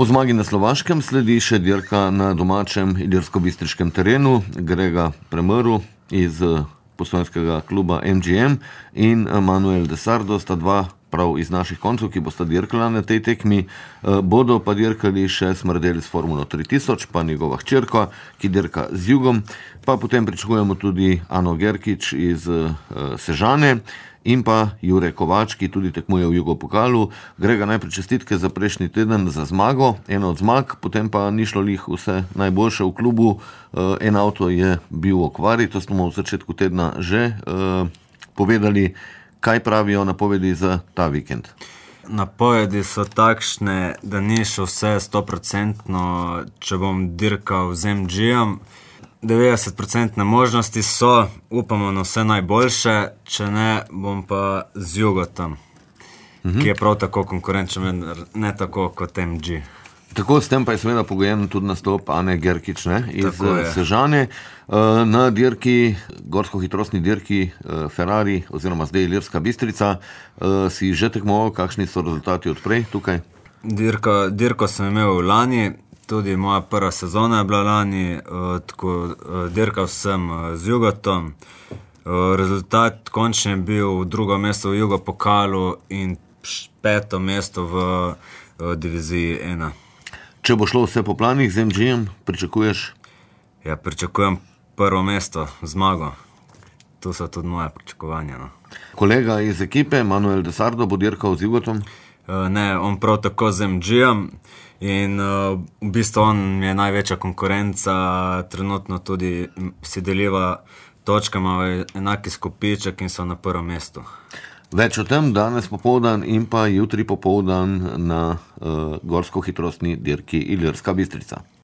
Po zmagi na Slovaškem sledi še dirka na domačem ilirsko-bistriškem terenu. Grega Premrl iz postojnskega kluba MGM in Manuel de Sardo sta dva prav iz naših koncev, ki bosta dirkala na tej tekmi. Bodo pa dirkali še Smrdelj s Formulo 3000, pa njegova hčerka, ki dirka z Jugom. Pa potem pričakujemo tudi Ano Gerkič iz Sežane in pa Jure Kovač, ki tudi tekmuje v Jugopokalu. Grega, najprej čestitke za prejšnji teden za zmago, ena od zmag, potem pa ni šlo lih vse najboljše v klubu. En avto je bil v okvari, to smo v začetku tedna že povedali. Kaj pravijo napovedi za ta vikend? Napovedi so takšne, da ni še vse 100%, če bom dirkal z MG-jem. 90% možnosti so, upamo na vse najboljše, če ne, bom pa z Jugotom, ki je prav tako konkurenčen, ne tako kot MG. Tako, s tem pa je seveda pogojen tudi nastop Ane Gerkič iz Sežane. Na dirki, gorsko-hitrostni dirki Ferrari oziroma zdaj Ilirska Bistrica, si že tekmoval, kakšni so rezultati odprej tukaj? Dirko sem imel lani, tudi moja prva sezona je bila lani, tako dirkal sem z Jugotom. Rezultat končni je bil drugo mesto v Jugopokalu in 5. mesto v diviziji 1. Če bo šlo vse po planih z MG-jem, pričakuješ? Ja, pričakujem prvo mesto, zmago. To so tudi moje pričakovanja. Kolega iz ekipe, Manuel de Sardo, bo dirkal z Jugotom? Ne, on prav tako z MG-jem in v bistvu on je največja konkurenca, trenutno tudi si deliva točke, ima enaki skupiček in so na prvem mestu. Več o tem danes popoldan in pa jutri popoldan na gorsko-hitrostni dirki Ilirska Bistrica.